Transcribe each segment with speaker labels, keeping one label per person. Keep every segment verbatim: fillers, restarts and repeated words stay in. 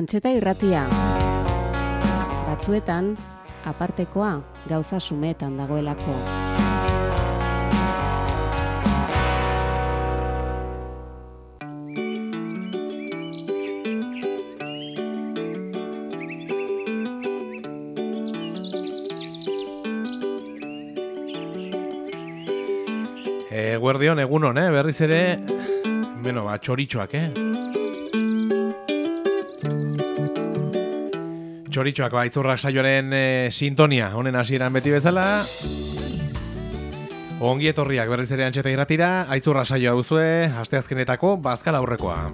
Speaker 1: Antxeta irratia. Batzuetan, apartekoa gauza sumetan dagoelako.
Speaker 2: Eguerdion, egunon, eh? Berriz ere, bueno, ba, txoritxoak, eh? Txoritxoak, ba, itzurrak saioaren e, sintonia, honen hasieran beti bezala. Ongi etorriak berriz ere Antxeta irratira, aitzurra saioa duzue, asteazkenetako bazkal aurrekoa.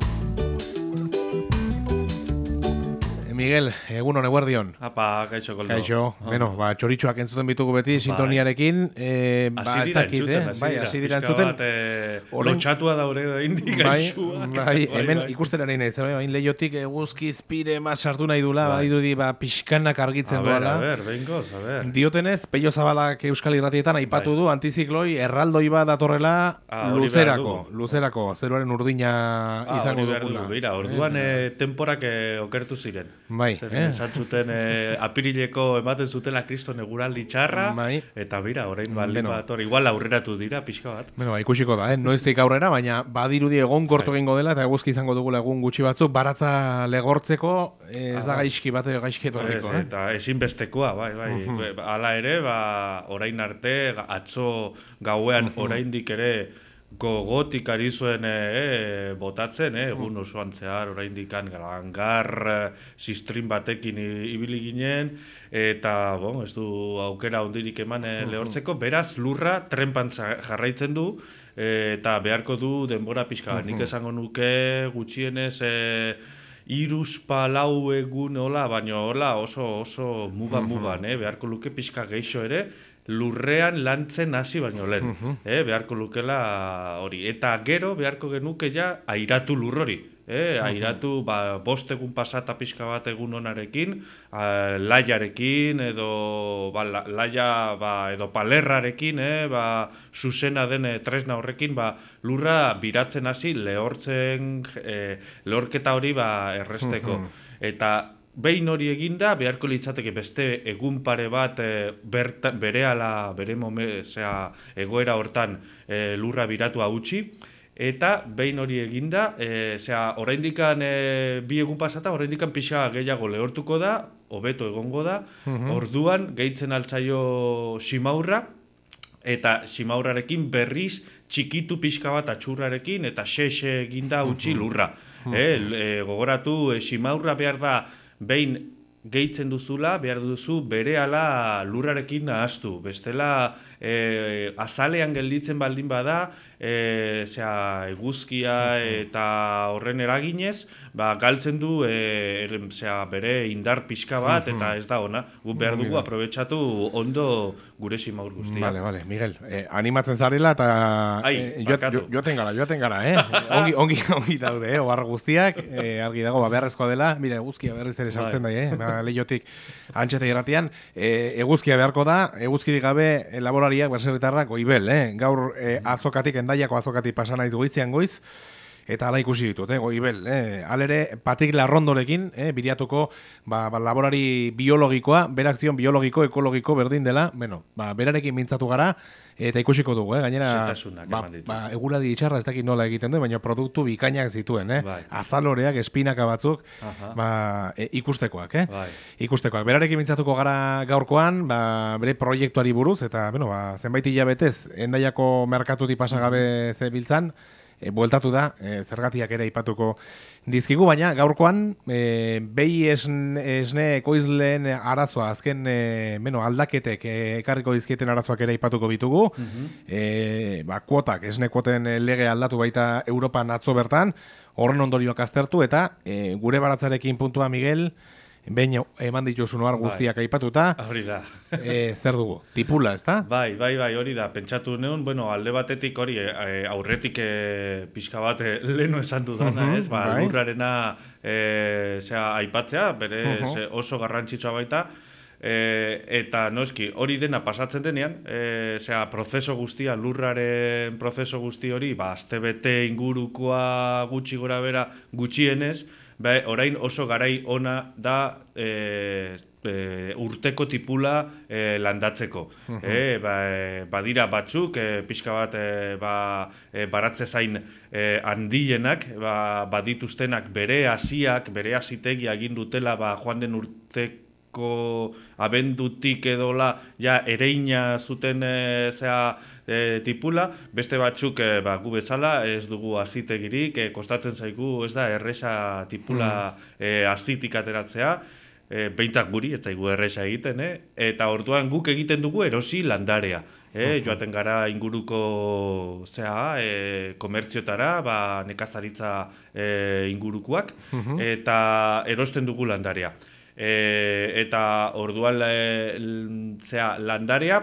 Speaker 2: Miguel, egunon, eguerdion.
Speaker 3: Apa, kaixo, koldo.
Speaker 2: Kaixo, oh. Bueno, ba, txoritxoak entzuten bitugu beti, sintoniarekin. Eh, ba,
Speaker 3: ez dakit, eh?
Speaker 2: Bai, hasi dira entzuten.
Speaker 3: Bat, eh, lotxatua daure da indik gaixua.
Speaker 2: Bai, bai, hemen bai, ikusten ari nahi, zer, hain lehiotik eguzki izpire ma sartu nahi dula, bai, irudi, ba, pixkanak argitzen duela.
Speaker 3: A ber, a ber, behingoz, a ber.
Speaker 2: Diotenez, Pello Zabalak Euskal Irratietan aipatu
Speaker 3: bai.
Speaker 2: du, antizikloi erraldoi bat datorrela
Speaker 3: ah,
Speaker 2: luzerako, luzerako, zeruaren urdina ah, izango dugula.
Speaker 3: Bira, orduan eh, eh, temporak eh, okertu ziren.
Speaker 2: Bai,
Speaker 3: eh? Zuten eh, apirileko ematen zutela kriston eguraldi txarra,
Speaker 2: bai.
Speaker 3: Eta bira, orain baldin bat, igual aurreratu dira, pixka bat.
Speaker 2: Bueno, ba, ikusiko da, eh? Noiztik aurrera, baina badirudi egon korto egingo dela, eta eguzki izango dugula egun gutxi batzuk, baratza legortzeko, eh, ez da gaizki bat gaizki etorriko.
Speaker 3: Ez, eta ezinbestekoa, bai, bai. Uh-huh. Hala ere, ba, orain arte, atzo gauean uh-huh. oraindik ere, gogotik ari zuen e, botatzen, e, egun osoan zehar, oraindik gangar sistrin batekin ibili ginen, eta bon, ez du aukera hondirik eman e, lehortzeko, beraz lurra trenpan jarraitzen du, e, eta beharko du denbora pixka. Nik esango nuke gutxienez e, iruz palau egun hola, baina hola oso oso muga-mugan, eh? Beharko luke pixka geixo ere, lurrean lantzen hasi baino lehen, uh-huh. eh? Beharko lukela hori. Eta gero beharko genuke ja airatu lur hori. Eh? Airatu ba, bost egun pasata pixka bat egun honarekin, a, laiarekin, edo ba, la, laia ba, edo palerrarekin, eh? Ba, zuzena den e, tresna horrekin, ba, lurra biratzen hasi lehortzen, e, lehorketa hori ba, erresteko. Uh-huh. Eta behin hori eginda, beharko litzateke beste egun pare bat e, berta, berehala, bere mome, zera, egoera hortan e, lurra biratu hautsi, eta behin hori eginda, e, zera, oraindikan e, bi egun pasata, oraindikan pixa gehiago lehortuko da, hobeto egongo da, uh-huh. Orduan gehitzen altzaio simaurra, eta simaurrarekin berriz txikitu pixka bat atxurrarekin, eta xe-xe eginda utzi lurra. Uh-huh. E, e, gogoratu, e, simaurra behar da, behin gehitzen duzula, behar duzu berehala lurrarekin nahaztu. Bestela e, azalean gelditzen baldin bada, e, zera, eguzkia eta horren eraginez, ba, galtzen du e, er, zera, bere indar pixka bat, eta ez da ona. Gu behar dugu aprobetxatu ondo gure simaur guztia.
Speaker 2: Vale, vale, Miguel, eh, animatzen zarela eta eh, joaten jo, gara, joaten gara, eh? ongi, ongi, ongi daude, eh? Oharra guztiak, eh, argi dago, ba, beharrezkoa dela, mira, eguzkia berriz ere sartzen bai, eh? Ba, lehiotik Antxeta irratian, e, eguzkia beharko da, eguzkirik gabe laborariak, baserritarrak, goibel, eh? Gaur e, azokatik, endaiako azokatik pasan naiz goizian goiz, eta ala ikusi ditut, eh? Goibel, eh? Alere, Patik Larrondorekin, eh? Biriatuko ba, ba, laborari biologikoa, berak zion biologiko, ekologiko berdin dela, bueno, ba, berarekin mintzatu gara, eta ikusiko dugu, eh? Gainera, ba, ba, eguradi itxarra ez dakit nola egiten du, baina produktu bikainak zituen, eh? Bai. Azaloreak, espinaka batzuk, ba, e, ikustekoak, eh? Bai. Ikustekoak. Berarekin mintzatuko gara gaurkoan, ba, bere proiektuari buruz, eta, bueno, ba, zenbait hilabetez, endaiako merkatutik pasagabe zebiltzan, E, bueltatu da, e, zergatiak ere aipatuko dizkigu, baina gaurkoan e, behi esne, esne ekoizleen arazoa, azken e, beno, aldaketek e, ekarriko dizkieten arazoak ere aipatuko bitugu, uh-huh. e, ba, kuotak, esne kuoten lege aldatu baita Europan atzo bertan, horren ondorioak aztertu, eta e, gure baratzarekin puntua, Miguel, behin eman dituzu noar guztiak bai. Aipatuta,
Speaker 3: hori da.
Speaker 2: e, zer dugu? Tipula, ez da?
Speaker 3: Bai, bai, bai, hori da. Pentsatu neun, bueno, alde batetik hori, e, aurretik e, pixka bat e, leheno esan dudana, uh-huh, ez? Ba, bai. Lurrarena e, zera, aipatzea, bere uh-huh. oso garrantzitsua baita, E, eta noski, hori dena pasatzen denean, e, zera, prozeso guztia, lurraren prozeso guzti hori, ba, astebete ingurukoa gutxi gora bera gutxienez, Ba, orain oso garai ona da e, e, urteko tipula e, landatzeko. Uh-huh. e, ba, e, badira batzuk, e, pixka bat e, ba, e, baratze zain e, handienak, ba, badituztenak bere hasiak, bere hasitegia egin dutela ba, joan den urteko abendutik edola ja ereina zuten e, zea, e, tipula, beste batzuk e, ba, gu bezala ez dugu hasitegirik, e, kostatzen zaigu ez da erresa tipula mm. e, hazitik ateratzea, e, behintzak guri, ez zaigu erresa egiten, eh? Eta orduan guk egiten dugu erosi landarea. Eh? Uh-huh. Joaten gara inguruko zea, e, komertziotara, ba, nekazaritza e, ingurukoak, uh-huh. eta erosten dugu landarea. E, eta orduan e, zera, landarea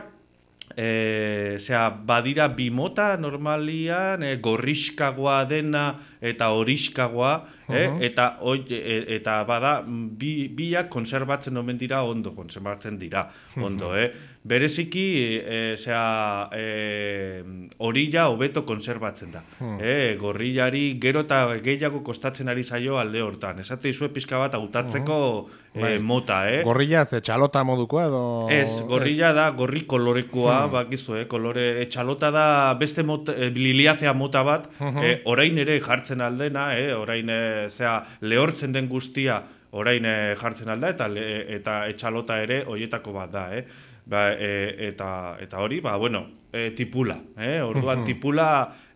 Speaker 3: e, zera, badira bimota normalian e, gorriskagoa dena eta horiskagoa uh-huh. e, eta, oi, e, eta bada bi, biak konserbatzen omen dira ondo, konserbatzen dira ondo, uh-huh. eh? Bereziki e, zera, e, orilla hobeto konserbatzen da. Hmm. E, gorrillari gero eta gehiago kostatzen ari zaio alde hortan. Esate izue pixka bat hautatzeko uh-huh. e, mota. Eh?
Speaker 2: Gorrilla ze txalota modukoa edo...
Speaker 3: Ez, gorrilla da gorri kolorekoa, hmm. bakizu, eh? Kolore, e, txalota da beste mota, e, liliazea mota bat, uh-huh. e, orain ere jartzen aldena, eh? orain e, zera, lehortzen den guztia orain e, jartzen alda, eta, le, eta etxalota ere hoietako bat da, eh? Ba, e, eta, eta hori, ba, bueno, e, tipula, eh? Orduan tipula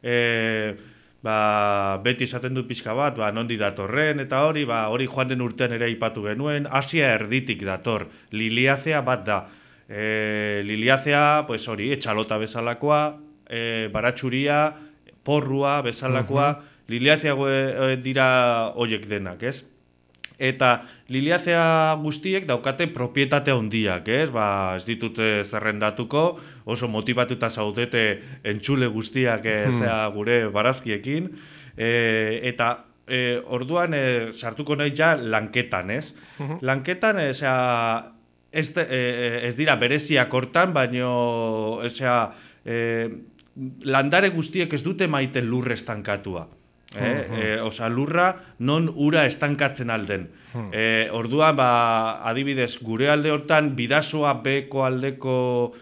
Speaker 3: e, ba, beti esaten dut pixka bat, ba, nondi datorren, eta hori, ba, hori joan den urtean ere aipatu genuen, Asia erditik dator, liliazea bat da, e, liliazea, pues hori, etxalota bezalakoa, e, baratxuria, porrua bezalakoa, uh-huh. liliazea e, dira hoiek denak, ez? Eta liliazea guztiek daukate propietate handiak, ez? Ba, ez ditute zerrendatuko, oso motivatuta zaudete entzule guztiak e, hmm. zea gure barazkiekin, e, eta e, orduan e, sartuko nahi ja lanketan, ez? Uh-huh. Lanketan, e, zea, ez, e, ez dira bereziak hortan, baino, zea, e, landare guztiek ez dute maiten lurre estankatua. Eh, uh-huh. eh, osa, lurra non ura estankatzen alden. Uh-huh. Eh, orduan, ba, adibidez, gure alde hortan bidasoa beko aldeko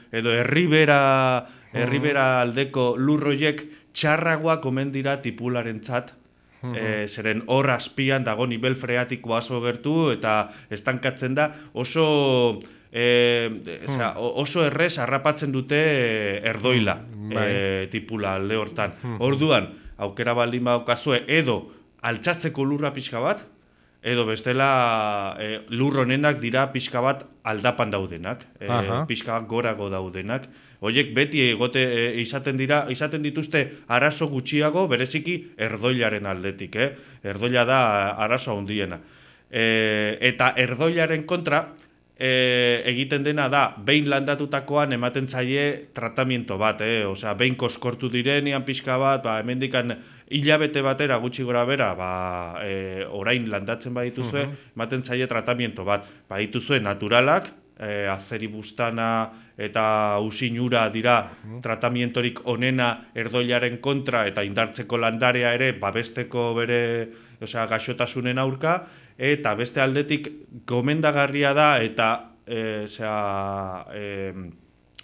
Speaker 3: edo herribera, uh-huh. herribera aldeko lurroiek txarragoak omen dira tipularentzat. Uh-huh. Eh, zeren hor azpian dago nivel freatikoa oso gertu eta estankatzen da oso... E, zera, oso errez harrapatzen dute erdoila e, tipula alde hortan. Orduan, aukera baldin baukazue edo altxatzeko lurra pixka bat, edo bestela e, lur honenak dira pixka bat aldapan daudenak, e, pixka bat gorago daudenak. Horiek beti egote e, izaten dira, izaten dituzte arazo gutxiago bereziki erdoilaren aldetik, eh? Erdoila da arazo handiena. E, eta erdoilaren kontra, E, egiten dena da, behin landatutakoan ematen zaie tratamiento bat, eh? Osea, behin koskortu direnean pixka bat, ba, hemendikan hilabete batera gutxi gora bera, ba, e, orain landatzen badituzue, uh-huh. ematen zaie tratamiento bat. Badituzue naturalak, e, azeribustana eta usinura dira uh-huh. tratamientorik onena erdoilaren kontra eta indartzeko landarea ere babesteko bere, osea, gaixotasunen aurka, eta beste aldetik gomendagarria da eta e, zera, e,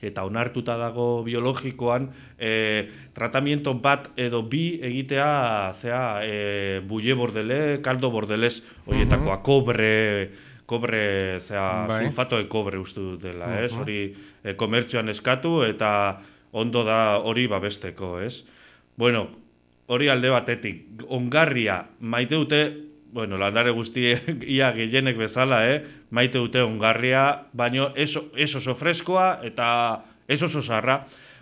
Speaker 3: eta onartuta dago biologikoan e, tratamiento bat edo bi egitea zera, e, bulle bordele, kaldo bordelez horietakoa, uh-huh. kobre, kobre, zera, bai. Sulfato de kobre uste dut dela, uh-huh. ez? Hori e, komertzioan eskatu eta ondo da hori babesteko, ez? Bueno, hori alde batetik, ongarria maite dute, bueno, landare guztiek ia gehienek bezala, eh? Maite dute ongarria, baino ez, ez oso freskoa eta ez oso zarra.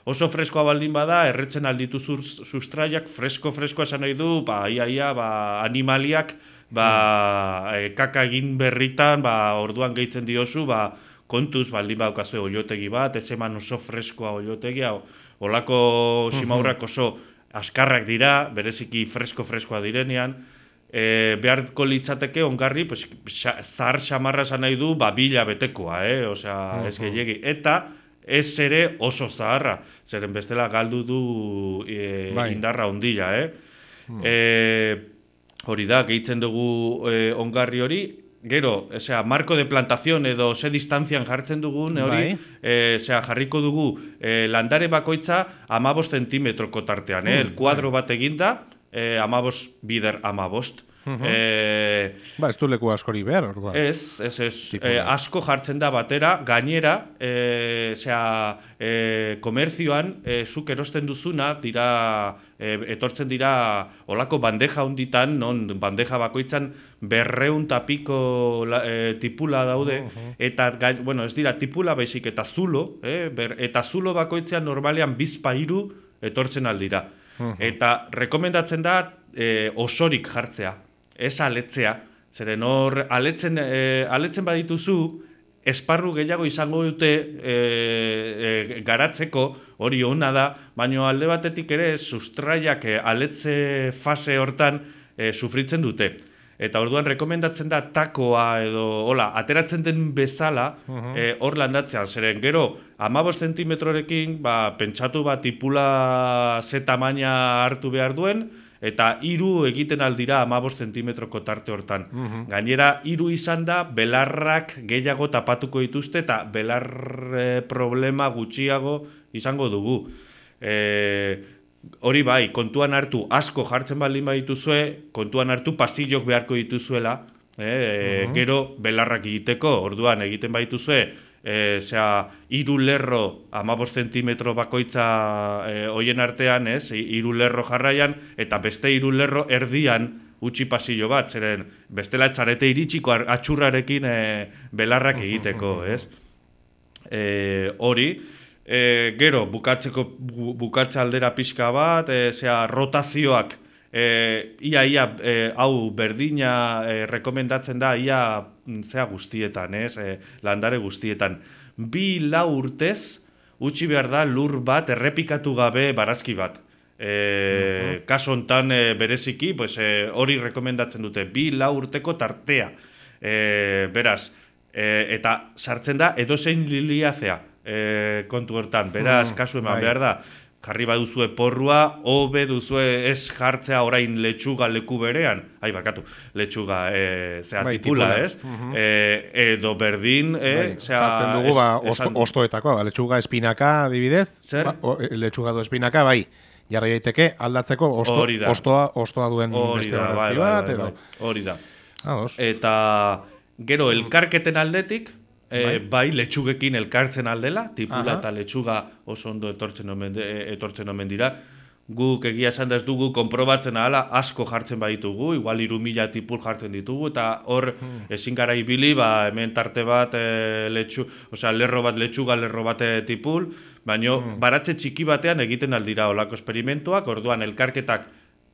Speaker 3: Oso freskoa baldin bada, erretzen alditu sustraiak, fresko-freskoa esan nahi du, ba, ia, ia, ba, animaliak, ba, mm. e, kaka egin berritan, ba, orduan gehitzen diozu, ba, kontuz baldin baukazue oiotegi bat, ez eman oso freskoa oiotegia, olako simaurrak oso askarrak dira, bereziki fresko-freskoa direnean, E, beharko litzateke ongarri, pues, zahar xamarra esan nahi du, ba, bila betekoa, eh? Osea, uh-huh. ez gehiagi. Eta ez ere oso zaharra, zeren bestela galdu du e, bai. Indarra ondila, eh? Uh-huh. E, hori da, gehitzen dugu e, ongarri hori, gero, osea, marko de plantación edo ze distanzian jartzen dugun, hori, e, osea, jarriko dugu e, landare bakoitza amabost zentimetroko tartean, eh? El kuadro bat eginda, e, amabost bider amabost.
Speaker 2: Uh-huh. E, ba, ez du leku askori behar, orduan.
Speaker 3: Ez, ez, ez. E, asko jartzen da batera, gainera, e, zera, e, komerzioan, e, zuk erosten duzuna, dira, e, etortzen dira olako bandeja hunditan, non bandeja bakoitzan berreun tapiko e, tipula daude, uh-huh. eta, bueno, ez dira tipula baizik eta zulo, eh? Ber, eta zulo bakoitzean normalean bizpa hiru etortzen aldira. Uh-huh. Eta rekomendatzen da e, osorik jartzea. Ez aletzea, zeren hor aletzen, e, aletzen badituzu, esparru gehiago izango dute e, e, garatzeko, hori ona da, baina alde batetik ere sustraiak e, aletze fase hortan e, sufritzen dute. Eta orduan rekomendatzen da takoa edo, hola, ateratzen den bezala uh-huh. e, hor landatzea, zeren gero amabost zentimetrorekin, ba, pentsatu bat tipula ze tamaina hartu behar duen, eta hiru egiten aldira amabost zentimetroko tarte hortan. Uh-huh. Gainera, hiru izan da, belarrak gehiago tapatuko dituzte, eta belar e, problema gutxiago izango dugu. E, hori bai, kontuan hartu, asko jartzen baldin badituzue, kontuan hartu pasillok beharko dituzuela, e, uh-huh. gero belarrak egiteko, orduan egiten badituzue, E, zera, iru lerro amabost zentimetro bakoitza e, hoien artean, ez, iru lerro jarraian, eta beste iru lerro erdian utzi pasillo bat, zeren bestela txarete iritsiko atxurrarekin e, belarrak egiteko, ez. E, hori, e, gero, bukatzeko, bu, bukatze aldera pixka bat, e, zera, rotazioak, E, ia, ia, e, hau berdina e, rekomendatzen da, ia zea guztietan, ez, e, landare guztietan. Bi lau urtez, utzi behar da lur bat errepikatu gabe barazki bat. E, uh-huh. Kaso hontan e, bereziki, pues, e, hori rekomendatzen dute, bi lau urteko tartea. E, beraz, e, eta sartzen da edozein liliazea e, kontu hortan, beraz, uh-huh. kasu eman behar da. Jarri baduzue porrua, hobe duzue ez jartzea orain letxuga leku berean. Ai, barkatu, letxuga e, zea bai, tipula, tipula, ez? Uh-huh. E, edo berdin, e, bai, zea...
Speaker 2: Jartzen dugu, ba, osto, ostoetako, ba, letxuga espinaka, adibidez. Zer? Ba, o, letxuga du espinaka, bai. Jarri daiteke aldatzeko osto, ostoa, ostoa duen beste
Speaker 3: da, bai, bat, bai, bai, bai. Hori da.
Speaker 2: Ados.
Speaker 3: Eta gero elkarketen aldetik, E, bai. bai, letxugekin elkartzen aldela, tipula Aha. eta letxuga oso ondo etortzen omen, etortzen omen dira. Guk egia esan da ez dugu konprobatzen ahala asko jartzen baditugu, igual hiru mila tipul jartzen ditugu, eta hor hmm. ezin gara ibili, ba, hemen tarte bat e, letxu, osea, lerro bat letxuga, lerro bat tipul, baina hmm. baratze txiki batean egiten aldira olako esperimentuak, orduan elkarketak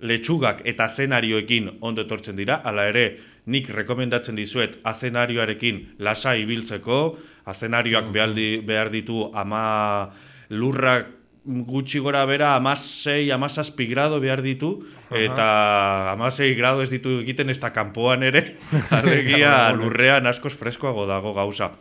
Speaker 3: letxugak eta azenarioekin ondo etortzen dira, hala ere nik rekomendatzen dizuet azenarioarekin lasa ibiltzeko, azenarioak mm-hmm. behar ditu ama lurrak gutxi gora bera amasei, amazazpi grado behar ditu, eta amasei grado ez ditu egiten ez da kanpoan ere, alegia lurrean askoz freskoago dago gauza.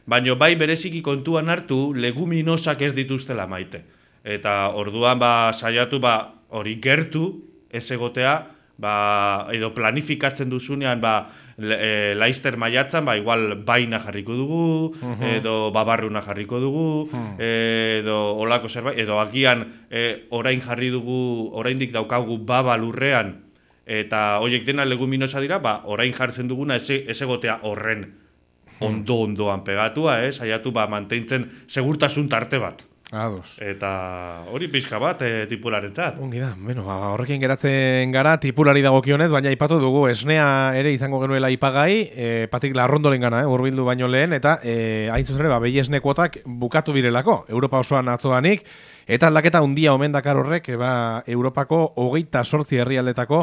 Speaker 3: Baina bai bereziki kontuan hartu leguminosak ez dituztela maite. Eta orduan ba saiatu ba hori gertu ez egotea, ba, edo planifikatzen duzunean ba, e, laister maiatzan, ba, igual baina jarriko dugu, uh-huh. edo babarruna jarriko dugu, uh-huh. edo olako zerbait, edo agian e, orain jarri dugu, oraindik daukagu baba lurrean, eta horiek dena leguminosa dira, ba, orain jartzen duguna ez, ez egotea horren ondo-ondoan pegatua, eh? Saiatu ba, mantentzen segurtasun tarte bat.
Speaker 2: Ados.
Speaker 3: Eta hori pixka bat e, tipularentzat.
Speaker 2: Ongi da, bueno, horrekin geratzen gara tipulari dagokionez, baina aipatu dugu esnea ere izango genuela ipagai, e, Patrik Larrondoren gana, eh, hurbildu baino lehen, eta e, hain zuzen ere, ba, behi esne kuotak bukatu birelako, Europa osoan atzoanik, eta aldaketa handia omen dakar horrek, ba, Europako hogeita sortzi herrialdetako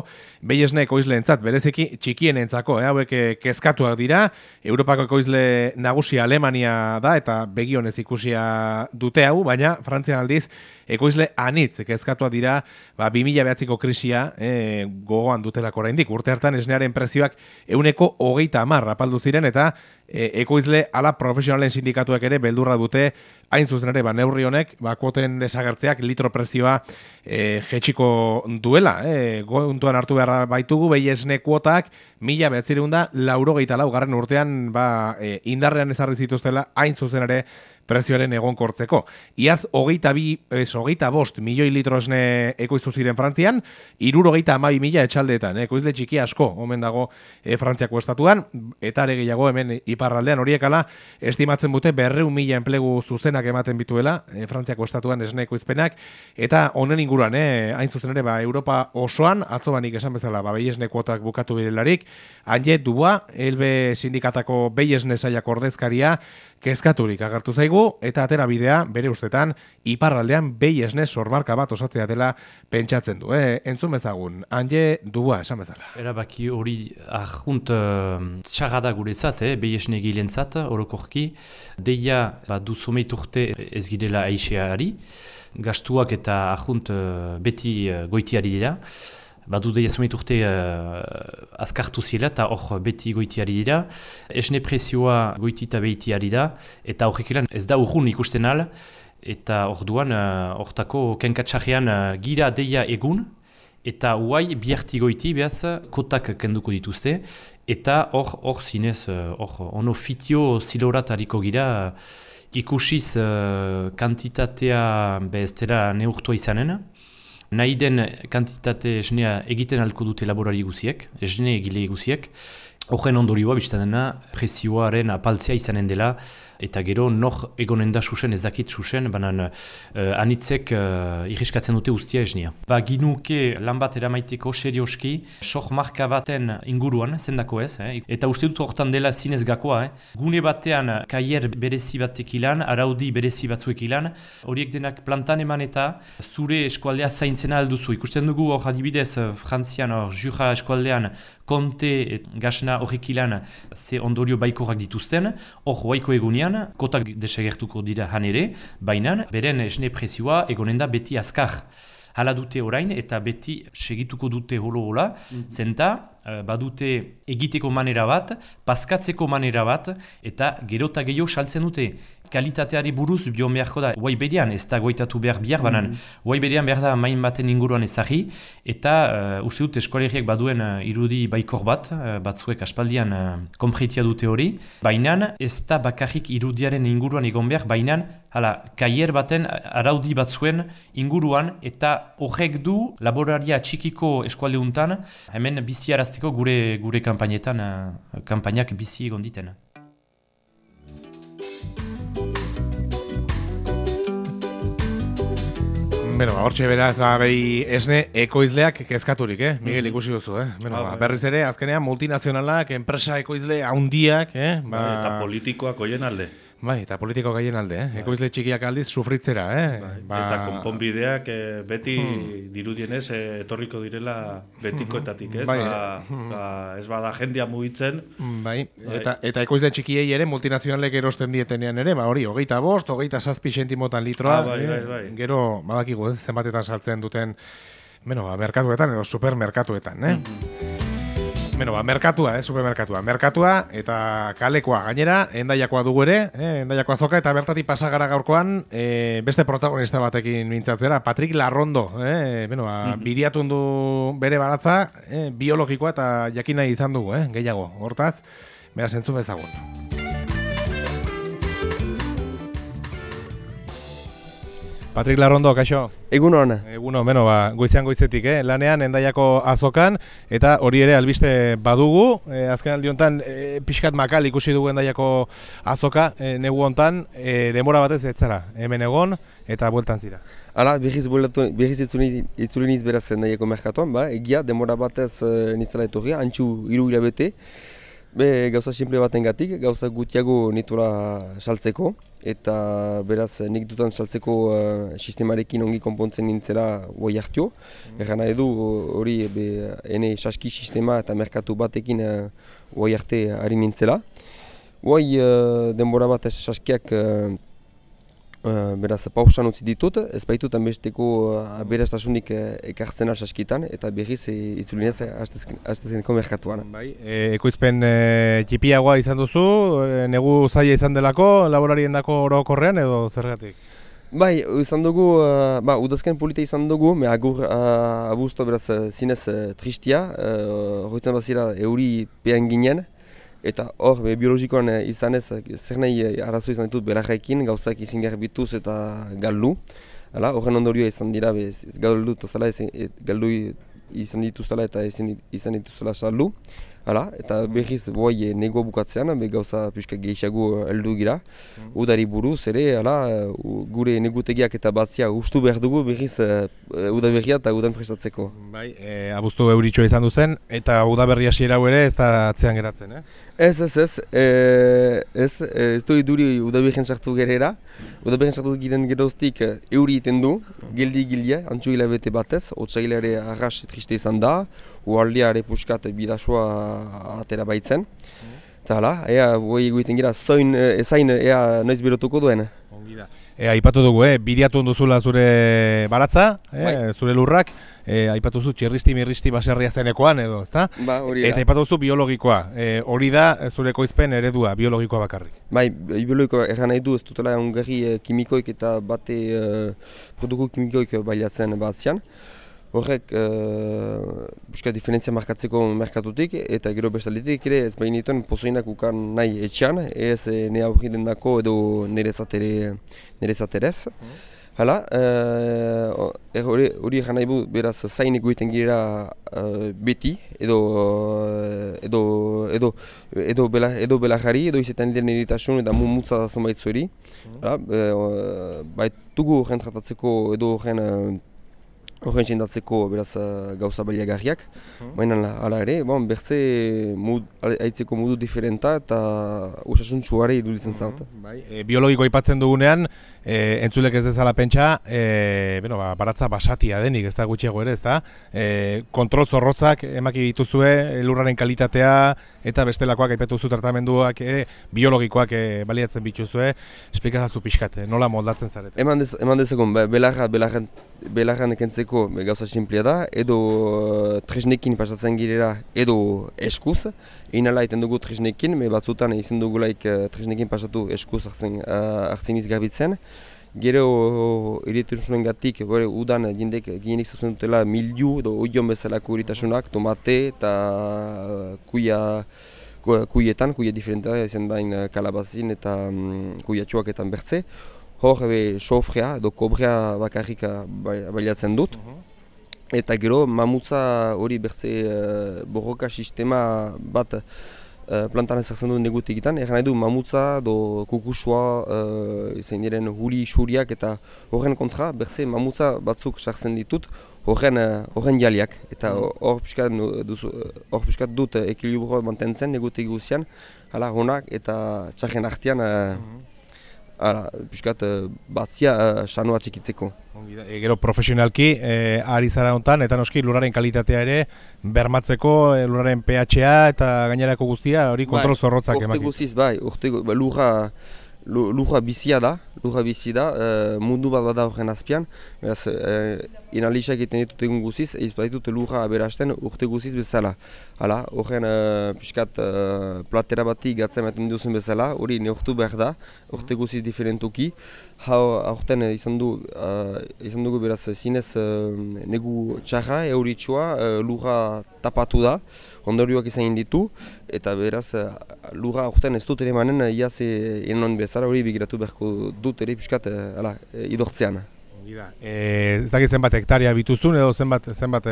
Speaker 2: behi esne ekoizleentzat, bereziki txikienentzako, eh, hauek kezkatuak dira, Europako ekoizle nagusia Alemania da, eta begionez ikusia dute hau, baina Frantzian aldiz ekoizle anitz kezkatuak dira, ba, bi mila bederatziko krisia e, gogoan dutelako oraindik. Urte hartan esnearen prezioak ehuneko hogeita hamar apaldu ziren, eta e, ekoizle ala profesionalen sindikatuak ere beldurra dute hain zuzen ere ba, neurri honek ba, kuoten desagertzeak litro prezioa e, jetxiko duela. E, Gontuan hartu behar baitugu, behi esne kuotak mila behatzireun da laurogeita lau garren urtean ba, e, indarrean ezarri zituztela hain zuzen ere prezioaren egonkortzeko. Iaz, hogeita bi, ez, hogeita bost milioi litro esne ekoiztu ziren Frantzian, hirurogeita hamabi mila etxaldeetan, eh? Ekoizle txiki asko, omen dago eh, Frantziako estatuan, eta ere gehiago hemen iparraldean horiekala, estimatzen dute berreun mila enplegu zuzenak ematen bituela, eh, Frantziako estatuan esne ekoizpenak, eta honen inguruan, eh, hain zuzen ere, ba, Europa osoan, atzo banik esan bezala, ba, behi esne kuotak bukatu birelarik, Anje Dubois, Elbe sindikatako behi esne zailak ordezkaria, kezkaturik agertu zaigu, eta atera bidea, bere ustetan, iparraldean behi esne sormarka bat osatzea dela pentsatzen du. Eh? Entzun bezagun, Anje Dubois esan bezala.
Speaker 4: Erabaki hori ahunt txarrada guretzat, eh? behi esne gilentzat, orokorki, deia ba, du someiturte ez girela aixeari, gastuak eta ahunt beti goitiari dira, badu deia zumeit urte uh, azkartu zila eta hor beti goitiari dira. Esne prezioa goitita behitiari da eta horrekilan ez da urrun ikusten al eta hor duan hortako uh, kenkatxarrean uh, gira deia egun eta huai biharti goiti behaz kotak kenduko dituzte eta hor hor zinez hor uh, ono fitio zilorat hariko gira uh, ikusiz uh, kantitatea bez dela neurtua izanen. Nahi den kantitate esnea egiten alko dute laborari guziek, esne egile guziek. Horren ondorioa biztan dena prezioaren apaltzea izanen dela eta gero nor egonen da susen ez dakit susen, banan uh, anitzek uh, irriskatzen dute ustia esnea. Ba ginuke lan bat eramaiteko serioski, sok marka baten inguruan, zendako ez, eh? Eta uste dut hortan dela zinez gakoa. Eh? Gune batean kaier berezi batek ilan, araudi berezi batzuek ilan, horiek denak plantan eman eta zure eskualdea zaintzena alduzu. Ikusten dugu hor adibidez Frantzian, hor Jura eskualdean, konte gasna horrek ilan ze ondorio baikorak dituzten, hor hoaiko egunean, kotak desagertuko dira han ere, baina beren esne prezioa egonen da beti azkar. Hala dute orain eta beti segituko dute holo-hola, mm. zenta badute egiteko manera bat, paskatzeko manera bat, eta gerota gehiago saltzen dute. Kalitateari buruz bion beharko da, guai berean, ez da goitatu behar bihar, banan, guai berean behar da main baten inguruan ezagri, eta uh, uste dut eskualeriek baduen uh, irudi baikor bat, uh, batzuek aspaldian uh, konfreitia dute hori, baina ez da bakarrik irudiaren inguruan egon behar, baina hala, kaier baten araudi batzuen inguruan, eta horrek du laboraria txikiko eskualdeuntan, hemen bizi arazteko gure, gure kampainetan, uh, kampainak bizi egon diten.
Speaker 2: Beno, hortxe beraz, ba, behi esne ekoizleak kezkaturik, eh? Miguel ikusi duzu, eh? Beno, ba, berriz ere, azkenean multinazionalak, enpresa ekoizle handiak, eh? Ba...
Speaker 3: Eta politikoak oien alde.
Speaker 2: Bai, eta politiko gaien alde, eh? Bai. Ekoizle txikiak aldiz sufritzera, eh?
Speaker 3: Bai.
Speaker 2: Ba...
Speaker 3: Eta konponbideak eh, beti hmm. dirudienez eh, etorriko direla betikoetatik, ez?
Speaker 2: Bai.
Speaker 3: Ba, ba, ez bada jendia mugitzen.
Speaker 2: Bai, bai. Eta, eta ekoizle txikiei ere multinazionalek erosten dietenean ere, ba hori, hogeita bost, hogeita zazpi sentimotan litroa,
Speaker 3: ah, bai, bai, bai.
Speaker 2: Eh? Gero, badakigu, ez, zenbatetan saltzen duten, beno, ba, merkatuetan edo supermerkatuetan, eh? Mm-hmm. Beno, ba, merkatua, eh, supermerkatua. Merkatua eta kalekoa gainera, endaiakoa dugu ere, eh, endaiakoa azoka, eta bertatik pasagara gaurkoan eh, beste protagonista batekin mintzatzera, Patrick Larrondo, eh, beno, ba, mm-hmm. biriatun du bere baratza, eh, biologikoa eta jakin nahi izan dugu, eh, gehiago, hortaz, beraz entzun bezagun. Patrick Larrondo, kaixo?
Speaker 5: Egun hona.
Speaker 2: Eguno, beno, ba, goizean goizetik, eh? Lanean endaiako azokan, eta hori ere albiste badugu. Eh, azken aldi honetan, eh, pixkat makal ikusi dugu endaiako azoka, eh, negu honetan, eh, demora batez ez zara, hemen egon, eta bueltan zira.
Speaker 5: Hala, berriz itzuli niz beraz endaiako merkatuan, ba, egia, demora batez uh, nitzela etorria, antxu hiru hilabete. Be, gauza simple baten gatik, gauza gutiago nitura saltzeko, eta beraz nik dutan saltzeko uh, sistemarekin ongi konpontzen nintzela guai hartio. Mm. Erran nahi du hori ene saski sistema eta merkatu batekin guai uh, arte ari nintzela. Guai uh, denbora bat saskiak uh, Uh, beraz, pausan utzi ditut, ez baitut besteko uh, aberastasunik uh, ekartzen saskitan, eta berriz e, itzulinez hastezeneko merkatuan.
Speaker 2: Bai, e, ekoizpen e, txipiagoa izan duzu, e, negu zaila izan delako, laborarien dako orokorrean edo zergatik?
Speaker 5: Bai, izan dugu, uh, ba, udazken polita izan dugu, me agur uh, abuzto beraz zinez uh, tristia, horretzen uh, bazira euri pean ginen, eta hor, biologikoan izanez, zer nahi arazo izan ditut belarrekin, gauzak izin garbituz eta galdu. Horren ondorioa izan dira, galdu tozala, galdu izan dituztela eta izan dituztela saldu. Eta berriz boi nego bukatzean, gauza pixka gehiago heldu gira. Udari buruz ere, gure negutegiak eta batzia ustu behar dugu berriz udaberria eta udan prestatzeko.
Speaker 2: Bai, e, abuztu euritxoa izan duzen, eta udaberria hasiera ere ez da atzean geratzen, eh?
Speaker 5: Ez, ez, ez, e, ez, ez du iduri udaberrian sartu gerera. Udaberrian sartu giren geroztik euri iten du, geldi gildia, antxu hilabete batez, otsailare arras triste izan da, ualdiare puskat bidasoa atera baitzen. Eta hala, ea, boi egiten gira, zoin, ezain, ea, noiz berotuko duen.
Speaker 2: E, aipatu dugu, eh, bidiatu onduzula zure baratza, eh, zure lurrak, e, aipatu zu txirristi mirristi baserria zenekoan edo, ezta?
Speaker 5: Ba, hori da.
Speaker 2: Eta aipatu zu biologikoa, e, hori da zure ekoizpen eredua, biologikoa bakarrik.
Speaker 5: Bai, biologikoa erran nahi du, ez dutela ongarri e, kimikoik eta bate e, produktu kimikoik bailatzen batzian. Horrek, buska diferentzia markatzeko merkatutik, eta gero bestaldetik ere ez bainituen pozoinak ukan nahi etxean, ez ne aurri dendako edo nerezat erez. Hala, hori egan nahi bu, beraz zain egoiten girela beti, edo edo edo edo belarjari, edo izetan diren eritasun eta mumutza da zonbait zueri. Baitugu horren tratatzeko edo horren Horren txendatzeko beraz gauza baliagarriak, baina hala ere, bon, bertze haitzeko modu diferenta eta osasuntsuare iruditzen zart.
Speaker 2: Bai, e, biologiko aipatzen dugunean, e, entzulek ez dezala pentsa, e, bueno, ba, baratza basatia denik, ez da gutxiago ere, ez da? E, kontrol zorrotzak emaki dituzue, lurraren kalitatea eta bestelakoak aipatu zu tratamenduak e, biologikoak e, baliatzen bituzue, esplikazazu pixkat, nola moldatzen zarete?
Speaker 5: Eman, dez, eman dezakon, belarra, belarran, belarran ekentzeko gauza simplea da, edo tresnekin pasatzen girela, edo eskuz. Inala iten dugu tresnekin, me batzutan izan dugulaik tresnekin pasatu eskuz hartzen, hartzen izgarbitzen. Gero irritasunaren gatik, udan jendek gienik zazuen dutela miliu edo oion bezalako irritasunak, tomate eta kuia, kuietan, kuia diferentea, izan dain kalabazin eta um, kuiatxoaketan bertze. Hor, sofrea edo kobrea bakarrik baliatzen dut. Eta gero, mamutza hori bertze uh, borroka sistema bat uh, plantan ezartzen dut negut egiten. Egan nahi du mamutza edo kukusua, uh, izan diren huli xuriak eta horren kontra bertze mamutza batzuk sartzen ditut horren, uh, horren jaliak. Eta hor piskat dut ekilibroa mantentzen negut eguzian, hala honak eta txarren artean uh, Ara, piskat, batzia uh, sanoa txikitzeko.
Speaker 2: E, gero profesionalki, e, ari zara honetan, eta noski lurraren kalitatea ere bermatzeko, e, lurraren pH-a eta gainerako guztia, hori kontrol zorrotzak emaki.
Speaker 5: Urte guziz, bai, urte lurra, lurra bizia da, lurra bizi da, uh, mundu bat bada horren azpian. Beraz, uh, inalisak egiten ditut egun guziz, ez baditut lurra aberasten urte guziz bezala. Hala, horren uh, piskat uh, platera bati gatzen ematen duzen bezala, hori neurtu behar da, urte guziz diferentuki. Horten izan, du, uh, izan dugu beraz zinez uh, negu txarra, euritsua, uh, lurra tapatu da, ondorioak izan ditu, eta beraz uh, lurra horten ez dut ere manen uh, iaz enon bezala hori bigiratu beharko dut ere piskat uh, ala, idortzean.
Speaker 2: E, ez dakit zenbat hektaria bituzun edo zenbat, zenbat,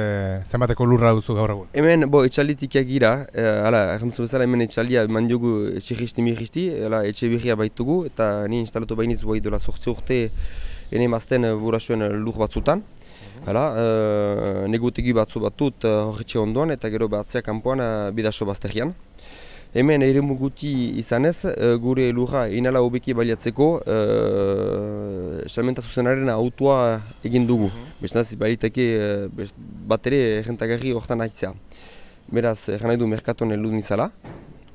Speaker 2: zenbateko lurra duzu gaur egun?
Speaker 5: Hemen, bo, etxalitikiak gira, e, ala, errantzu bezala hemen etxalia eman diogu etxirristi mirristi, etxe birria baitugu, eta ni instalatu bainitz boi dola sortzi urte ene mazten burasuen lur batzutan. Hala, e, negutegi batzu batut horretxe ondoan, eta gero batzea kanpoan bidaso bazterian. Hemen eremu guti izanez, gure lurra inala hobeki baliatzeko uh, salmenta zuzenaren autoa egin dugu. Bestaz, baliteke bat ere errentagarri horretan haitzea. Beraz, erran nahi du merkatuan heldu nizala.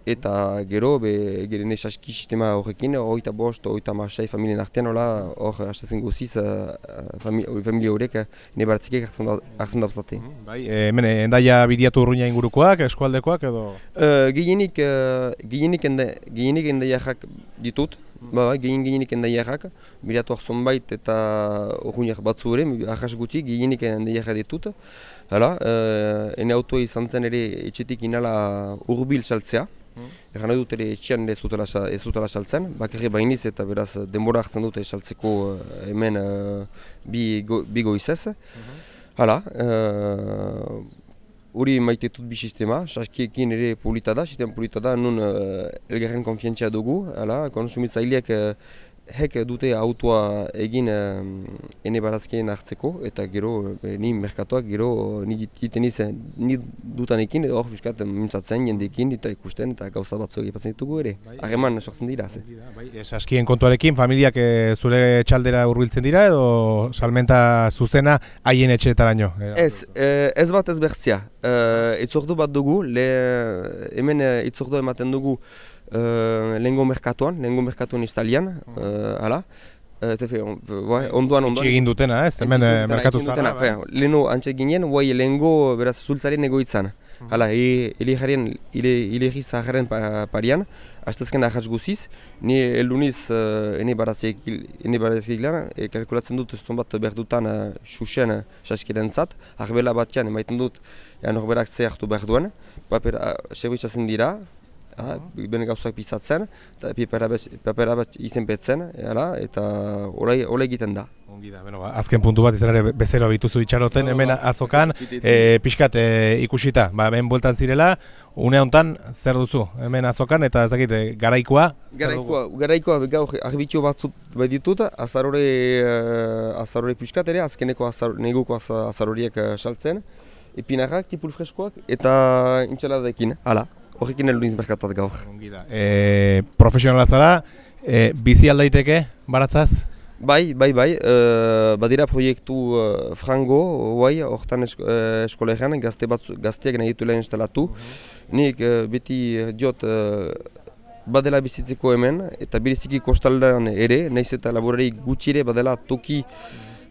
Speaker 5: eta gero, be, gero saski sistema horrekin, hogeita bost, hogeita masai familien artean, hola, hor, hastatzen guziz, uh, familia horiek, ne baratzikek hartzen dauzate.
Speaker 2: Bai, hemen, endaia bidiatu urruina ingurukoak, eskualdekoak edo?
Speaker 5: Uh, Gehienik, uh, gehienik, enda, gehienik endaiak ditut, ba, ba, gehien gehienik endaiak, biratuak zonbait eta urruinak batzu ere, ahas gutxi, gehienik endaiak ditut. Hala, uh, ene autoa izan zen ere etxetik inala urbil saltzea. Egan nahi dut ere etxean ez dutela saltzen, bakarri bainiz eta beraz denbora hartzen dute saltzeko hemen uh, bi, go, bi goizez. Hala, hori uh, maite dut bi sistema, saskiekin ere polita da, sistema polita da, nun uh, elgarren konfientzia dugu, hala, konsumitzaileak uh, hek dute autoa egin uh, ene barazkien hartzeko, eta gero eh, ni merkatuak gero ni egiten izan, ni dutanekin edo hor piskat mintzatzen jendeekin eta ikusten eta gauza batzu egipatzen ditugu ere. Harreman sortzen dira.
Speaker 2: Bai, saskien kontuarekin familiak e, zure txaldera hurbiltzen dira edo salmenta zuzena haien etxeetaraino?
Speaker 5: Ez, e, ez bat ez bertzia. E, itzordu bat dugu, le, hemen itzordu ematen dugu Uh, lehengo merkatuan, lehengo merkatuan istalian, uh, hala. Uh, onduan, onduan.
Speaker 2: Itxi egin dutena, ez? Hemen merkatu zara.
Speaker 5: Leheno antxe ginen, guai lehengo beraz zultzaren egoitzan. Hala, hile jarrien, hile zaharen parian, astezken ahaz guziz, ni elduniz uh, ene barazek lan, e, kalkulatzen dut zon bat behar dutan uh, xuxen uh, saskiren zat, arbela batean emaiten dut, ja, norberak ze hartu behar duen, paper uh, serbitzatzen dira, Ah, bene gauzak pizatzen, eta papera bat izen petzen, eta hola egiten da.
Speaker 2: Ongi da, beno, azken puntu bat izan ere bezero bituzu itxaroten, hemen azokan, e, pixkat e, ikusita, ba, hemen bueltan zirela, une honetan zer duzu, hemen azokan, eta ez dakit, garaikoa?
Speaker 5: Garaikoa, garaikoa gaur arbitio batzut bai ditut, azarore, azarore pixkat ere, azkeneko azar, neguko azaroriek saltzen, epinarrak, tipul freskoak, eta intxaladekin, hala. Horrekin eluniz merkatuat gaur.
Speaker 2: E, profesionala zara, e, bizi aldaiteke baratzaz?
Speaker 5: Bai, bai, bai. E, badira proiektu uh, frango, bai, horretan esko, uh, eskolegean, gazte gazteak nahi ditu lehen instalatu. Uh-huh. Nik uh, beti diot uh, badela bizitzeko hemen, eta beriziki kostaldean ere, nahiz eta laborari gutxire badela toki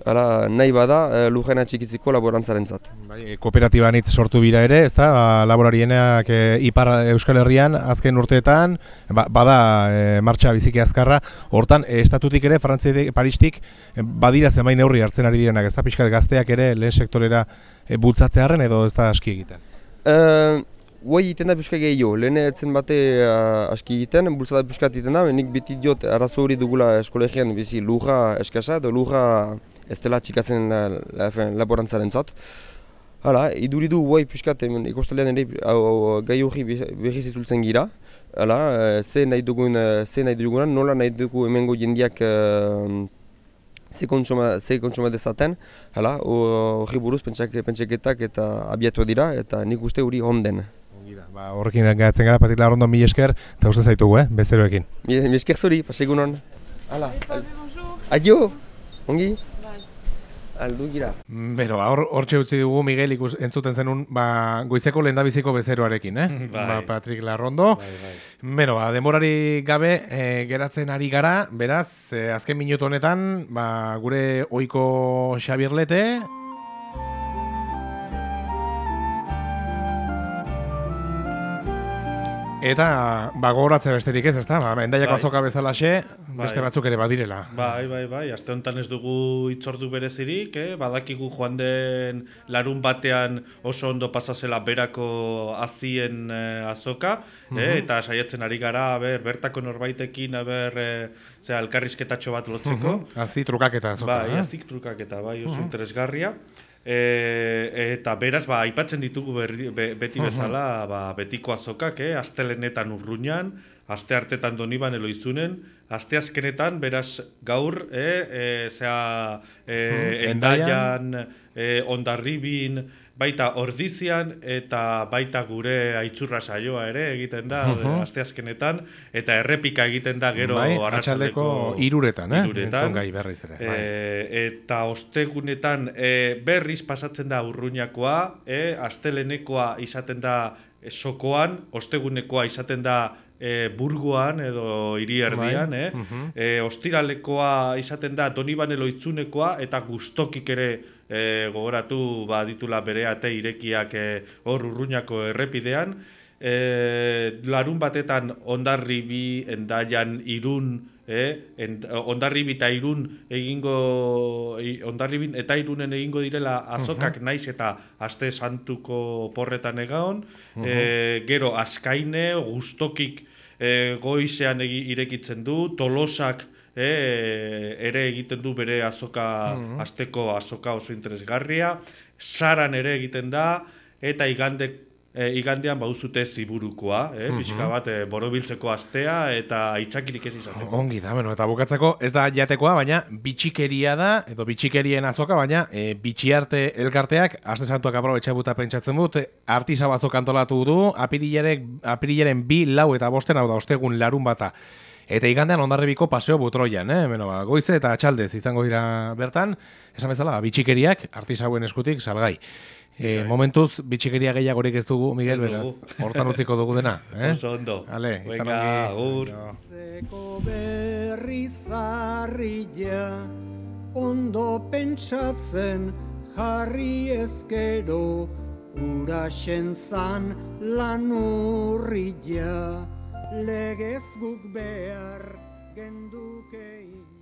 Speaker 5: Hala, nahi bada, uh, lujena txikitziko laborantzaren zat.
Speaker 2: Bai, kooperatiba nitz sortu bira ere, ez da, laborarienak e, Ipar Euskal Herrian azken urteetan, ba, bada e, martxa biziki azkarra, hortan, e, estatutik ere, Frantziatik, Paristik, e, badira zenbait neurri hartzen ari direnak, ez da, pixkat gazteak ere lehen sektorera e, bultzatzearen edo ez da aski egiten?
Speaker 5: Uh, Guai egiten da pixka gehiago, lehen etzen bate uh, aski egiten, bultzada pixkat egiten da, nik beti diot arazo hori dugula eskolegian bizi lurra eskasa edo lurra ez dela txikatzen laborantzaren zat. Hala, iduridu guai pixkat ikostalean ere gai hori berriz izultzen gira. Hala, ze nahi dugun, ze nahi dugunan, nola nahi dugu hemengo jendiak ze kontsuma dezaten. Hala, hori buruz pentsaketak eta abiatu dira eta nik uste hori honden.
Speaker 2: Ba, horrekin gaitzen gara, Patrik Larrondo, mil esker, eta uste zaitugu, eh, bezeroekin.
Speaker 5: Mil esker zuri, pasegun hon. Hala. Adio, ongi? Aldu gira.
Speaker 2: Bero, hor txe utzi dugu Miguel ikus entzuten zenun, ba, goizeko lehendabiziko bezeroarekin, eh?
Speaker 3: Bai.
Speaker 2: Ba, Patrik Larrondo.
Speaker 3: Bai, bai.
Speaker 2: Beno, ba, demorari gabe e, geratzen ari gara, beraz, e, azken minutu honetan, ba, gure ohiko Xabier Lete, eta ba, gogoratze besterik ez, ezta? Ba, Hendaiako azoka bezalaxe, beste batzuk ere badirela.
Speaker 3: Bai, bai, bai. Aste honetan ez dugu hitzordu berezirik, eh? Badakigu joan den larun batean oso ondo pasazela berako azien eh, azoka, eh? uh-huh. Eta saiatzen ari gara, ber, bertako norbaitekin, ber, eh, zera, elkarrizketatxo bat lotzeko.
Speaker 2: Uh-huh. Azi trukaketa azoka.
Speaker 3: Bai,
Speaker 2: eh?
Speaker 3: azik trukaketa, bai, oso uh-huh. interesgarria. E, eta beraz, ba, aipatzen ditugu berri, be, beti bezala ba, betiko azokak, eh? Astelenetan Urruñan, aste hartetan Doniban Eloizunen, aste azkenetan, beraz, gaur, eh? e, zera, e, Endaian, e, Hondarribin, baita Ordizian eta baita gure Aitzurra saioa ere egiten da uh-huh. asteazkenetan eta errepika egiten da gero
Speaker 2: bai,
Speaker 3: arratsaldeko
Speaker 2: hiruretan, eh?
Speaker 3: Hiruretan.
Speaker 2: Gai berriz ere.
Speaker 3: E,
Speaker 2: bai.
Speaker 3: Eta ostegunetan e, berriz pasatzen da Urruñakoa, e, astelenekoa izaten da sokoan, ostegunekoa izaten da e, burgoan edo hiri erdian, eh? uh-huh. e, ostiralekoa izaten da Donibane Loitzunekoa, eta gustokik ere e, gogoratu ba, ditula bere ate irekiak hor e, Urruñako errepidean, e, larun batetan Hondarribi, Hendaian, Irun, eh? Hondarribi eta Irun egingo, Hondarribin eta Irunen egingo direla azokak uh-huh. naiz eta aste santuko porretan egaon, uh-huh. e, gero Azkaine, gustokik e, goizean egi, irekitzen du, Tolosak e, ere egiten du bere azoka, uh-huh. asteko azoka oso interesgarria, Saran ere egiten da, eta igandek E, igandean bauzute ziburukoa, eh? mm-hmm. pixka bat e, borobiltzeko astea eta aitzakirik ez izateko.
Speaker 2: Ongi da, bueno, eta bukatzeko ez da jatekoa, baina bitxikeria da, edo bitxikerien azoka, baina e, bitxiarte elkarteak, aste santuak aprobetxabuta pentsatzen dut, artisau azok antolatu du, apirilaren bi, lau eta bosten, hau da, ostegun larun bata. Eta igandean Hondarribiko paseo Butroian, eh? Beno, ba, goize eta txaldez izango dira bertan, esan bezala, bitxikeriak artisauen eskutik salgai. E, momentuz, bitxikeria gehiagorik ez dugu, Miguel, beraz, hortan utziko dugu dena. Eh?
Speaker 3: Oso ondo.
Speaker 2: Ale,
Speaker 3: venga, agur.
Speaker 6: Zeko berri zarria, ondo pentsatzen jarri ezkero, uraxen zan lan urria, legez guk behar gendukein.